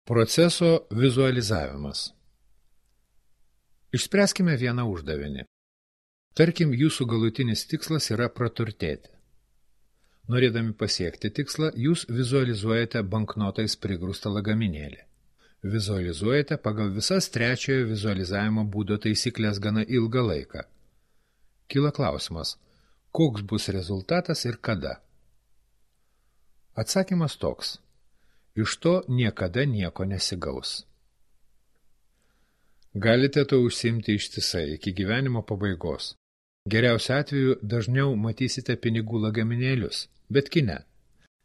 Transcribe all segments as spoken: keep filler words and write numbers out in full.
Proceso vizualizavimas. Išspręskime vieną uždavinį. Tarkim, jūsų galutinis tikslas yra praturtėti. Norėdami pasiekti tikslą, jūs vizualizuojate banknotais prigrūstą lagaminėlį. Vizualizuojate pagal visas trečiojo vizualizavimo būdo taisyklės gana ilgą laiką. Kyla klausimas, koks bus rezultatas ir kada? Atsakymas toks. Iš to niekada nieko nesigaus. Galite to užsiimti ištisai iki gyvenimo pabaigos. Geriausiu atveju dažniau matysite pinigų lagaminėlius, bet kine.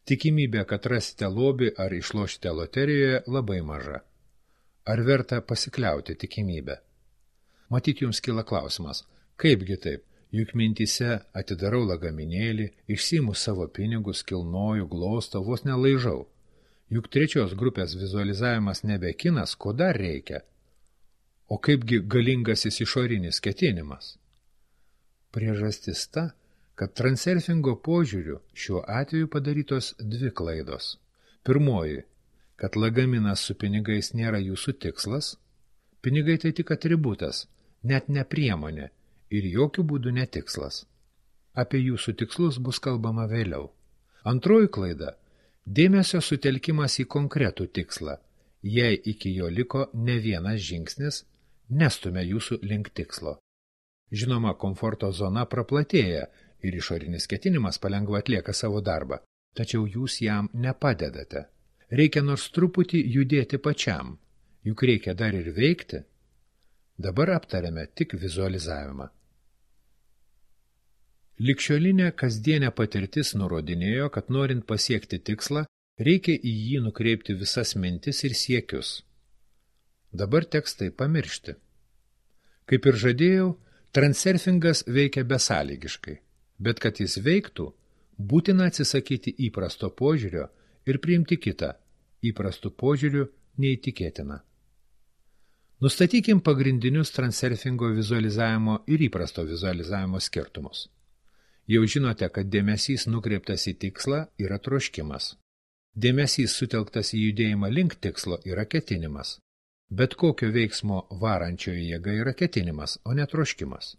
Tikimybė, kad rasite lobį ar išlošite loterijoje, labai maža. Ar verta pasikliauti tikimybę? Matyt, jums kyla klausimas, kaipgi taip, juk mintyse atidarau lagaminėlį, išsiimu savo pinigus, kilnoju, glostau, vos nelaižau. Juk trečios grupės vizualizavimas nebe kinas, ko dar reikia? O kaipgi galingasis išorinis ketinimas? Priežastis ta, kad transurfingo požiūriu šiuo atveju padarytos dvi klaidos. Pirmoji, kad lagaminas su pinigais nėra jūsų tikslas, pinigai tai tik atributas, net ne priemonė ir jokių būdų netikslas. Apie jūsų tikslus bus kalbama vėliau. Antroji klaida – dėmesio sutelkimas į konkretų tikslą, jei iki jo liko ne vienas žingsnis, nestumia jūsų link tikslo. Žinoma, komforto zona praplatėja ir išorinis ketinimas palengva atlieka savo darbą, tačiau jūs jam nepadedate. Reikia nors truputį judėti pačiam, juk reikia dar ir veikti. Dabar aptarėme tik vizualizavimą. Ligšiolinė kasdienė patirtis nurodinėjo, kad norint pasiekti tikslą, reikia į jį nukreipti visas mintis ir siekius. Dabar teks tai pamiršti. Kaip ir žadėjau, transurfingas veikia besąlygiškai, bet kad jis veiktų, būtina atsisakyti įprasto požiūrio ir priimti kitą, įprastų požiūrių neįtikėtiną. Nustatykim pagrindinius transurfingo vizualizavimo ir įprasto vizualizavimo skirtumus. Jau žinote, kad dėmesys nukreiptas į tikslą yra troškimas. Dėmesys sutelktas į judėjimą link tikslo yra ketinimas. Bet kokio veiksmo varančioji jėga yra ketinimas, o ne troškimas.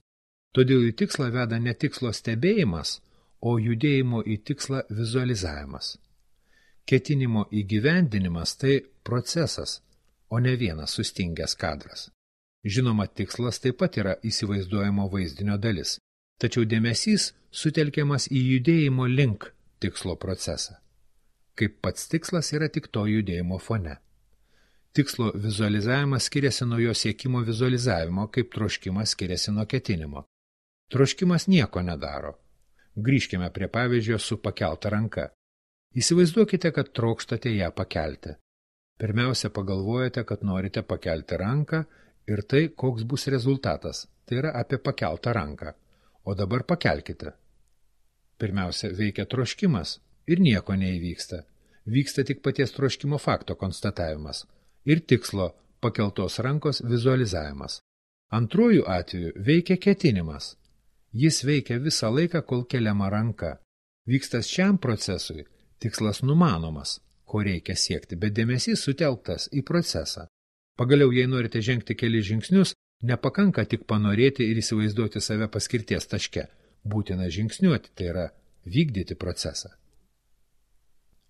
Todėl į tikslą veda ne tikslo stebėjimas, o judėjimo į tikslą vizualizavimas. Ketinimo įgyvendinimas tai procesas, o ne vienas sustingęs kadras. Žinoma, tikslas taip pat yra įsivaizduojamo vaizdinio dalis, tačiau dėmesys sutelkiamas į judėjimo link tikslo procesą. Kaip pats tikslas yra tik to judėjimo fone. Tikslo vizualizavimas skiriasi nuo jo siekimo vizualizavimo, kaip troškimas skiriasi nuo ketinimo. Troškimas nieko nedaro. Grįžkime prie pavyzdžio su pakelta ranka. Įsivaizduokite, kad trokštate ją pakelti. Pirmiausia, pagalvojate, kad norite pakelti ranką ir tai, koks bus rezultatas. Tai yra apie pakeltą ranką. O dabar pakelkite. Pirmiausia, veikia troškimas ir nieko neįvyksta. Vyksta tik paties troškimo fakto konstatavimas ir tikslo pakeltos rankos vizualizavimas. Antrojų atveju veikia ketinimas. Jis veikia visą laiką, kol keliama ranka. Vykstas šiam procesui, tikslas numanomas, ko reikia siekti, bet dėmesys sutelktas į procesą. Pagaliau, jei norite žengti kelis žingsnius, nepakanka tik panorėti ir įsivaizduoti save paskirties taške. Būtina žingsniuoti, tai yra vykdyti procesą.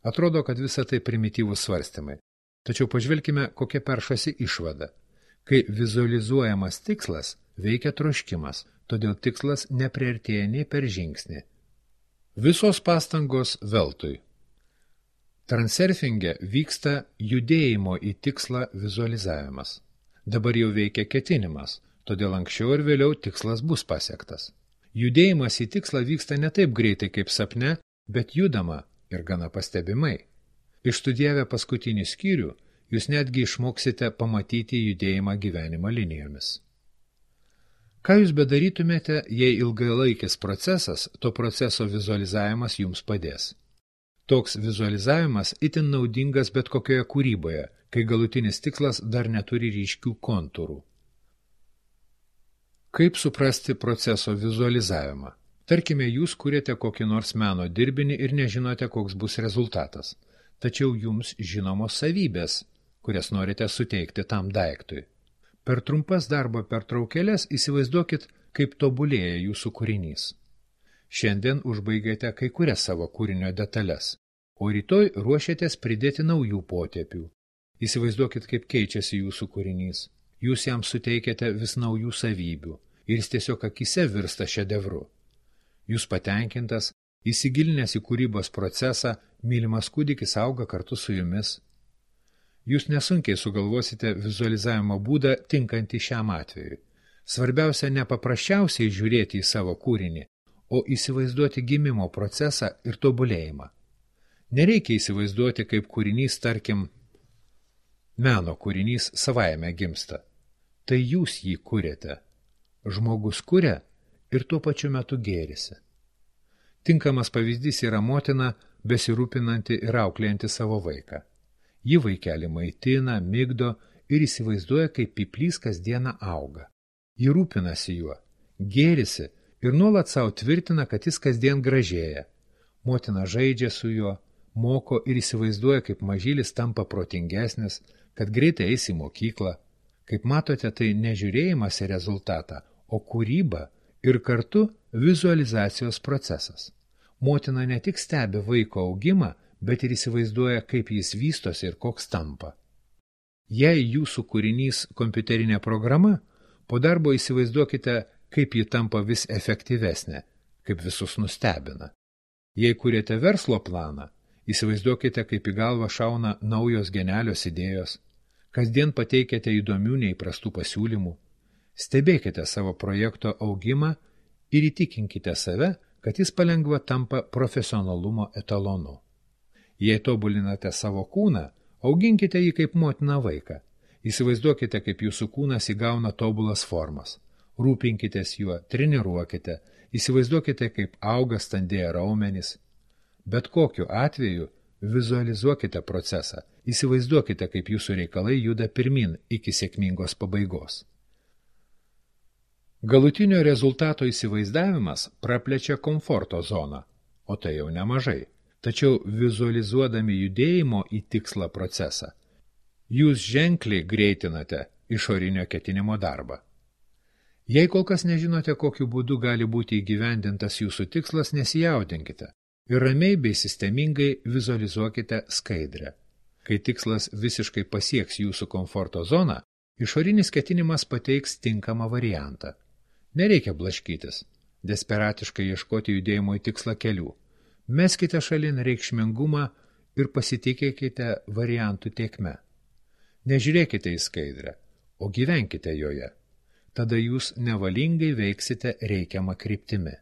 Atrodo, kad visa tai primityvūs svarstymai. Tačiau pažvelkime, kokia peršasi išvada. Kai vizualizuojamas tikslas, veikia troškimas, todėl tikslas nepriartėja nei per žingsnį. Visos pastangos veltui. Transurfinge vyksta judėjimo į tikslą vizualizavimas. Dabar jau veikia ketinimas, todėl anksčiau ir vėliau tikslas bus pasiektas. Judėjimas į tikslą vyksta ne taip greitai kaip sapne, bet judama ir gana pastebimai. Išstudijavę paskutinį skyrių, jūs netgi išmoksite pamatyti judėjimą gyvenimo linijomis. Ką jūs bedarytumėte, jei ilgalaikis procesas, to proceso vizualizavimas jums padės? Toks vizualizavimas itin naudingas bet kokioje kūryboje, kai galutinis tikslas dar neturi ryškių kontūrų. Kaip suprasti proceso vizualizavimą? Tarkime, jūs kuriate kokį nors meno dirbinį ir nežinote, koks bus rezultatas. Tačiau jums žinomos savybės, kurias norite suteikti tam daiktui. Per trumpas darbo pertraukėlės įsivaizduokit, kaip tobulėja jūsų kūrinys. Šiandien užbaigėte kai kurias savo kūrinio detalės, o rytoj ruošiatės pridėti naujų potėpių. Įsivaizduokit, kaip keičiasi jūsų kūrinys. Jūs jam suteikėte vis naujų savybių ir jis tiesiog akise virsta šedevru. Jūs patenkintas, įsigilinęs į kūrybos procesą, mylimas kūdikis auga kartu su jumis. Jūs nesunkiai sugalvosite vizualizavimo būdą tinkantį šiam atvejui. Svarbiausia ne paprasčiausiai žiūrėti į savo kūrinį, o įsivaizduoti gimimo procesą ir tobulėjimą. Nereikia įsivaizduoti, kaip kūrinys, tarkim, meno kūrinys savaime gimsta. Tai jūs jį kuriate. Žmogus kuria ir tuo pačiu metu gėrisi. Tinkamas pavyzdys yra motina, besirūpinanti ir auklėjanti savo vaiką. Ji vaikelį maitina, migdo ir įsivaizduoja, kaip pyplys kasdieną auga. Ji rūpinasi juo, gėrisi ir nuolat savo tvirtina, kad jis kasdien gražėja. Motina žaidžia su juo, moko ir įsivaizduoja, kaip mažylis tampa protingesnis, kad greitai eis į mokyklą. Kaip matote, tai nežiūrėjimas į rezultatą, o kūryba ir kartu vizualizacijos procesas. Motina ne tik stebi vaiko augimą, bet ir įsivaizduoja, kaip jis vystosi ir koks tampa. Jei jūsų kūrinys kompiuterinė programa, po darbo įsivaizduokite, kaip ji tampa vis efektyvesnė, kaip visus nustebina. Jei kuriate verslo planą, įsivaizduokite, kaip į galvą šauna naujos genialios idėjos, kasdien pateikiate įdomių neįprastų pasiūlymų, stebėkite savo projekto augimą ir įtikinkite save, kad jis palengva tampa profesionalumo etalonu. Jei tobulinate savo kūną, auginkite jį kaip motina vaiką. Įsivaizduokite, kaip jūsų kūnas įgauna tobulas formas. Rūpinkitės juo, treniruokite, įsivaizduokite, kaip auga standėja raumenys. Bet kokiu atveju vizualizuokite procesą, įsivaizduokite, kaip jūsų reikalai juda pirmin iki sėkmingos pabaigos. Galutinio rezultato įsivaizdavimas praplečia komforto zoną, o tai jau nemažai. Tačiau vizualizuodami judėjimo į tikslą procesą, jūs ženkliai greitinate išorinio ketinimo darbą. Jei kol kas nežinote, kokiu būdu gali būti įgyvendintas jūsų tikslas, nesijaudinkite ir ramiai bei sistemingai vizualizuokite skaidrę. Kai tikslas visiškai pasieks jūsų komforto zoną, išorinis ketinimas pateiks tinkamą variantą. Nereikia blaškytis, desperatiškai ieškoti judėjimo į tikslą kelių. Meskite šalin reikšmingumą ir pasitikėkite variantų tėkme. Nežiūrėkite į skaidrę, o gyvenkite joje. Tada jūs nevalingai veiksite reikiamą kryptimi.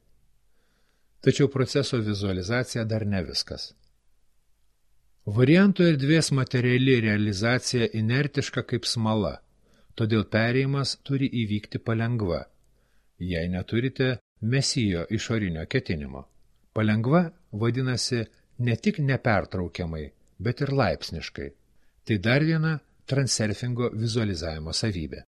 Tačiau proceso vizualizacija dar ne viskas. Variantų erdvės materiali realizacija inertiška kaip smala, todėl perėjimas turi įvykti palengva, jei neturite mesijo išorinio ketinimo. Palengva vadinasi ne tik nepertraukiamai, bet ir laipsniškai. Tai dar viena transurfingo vizualizavimo savybė.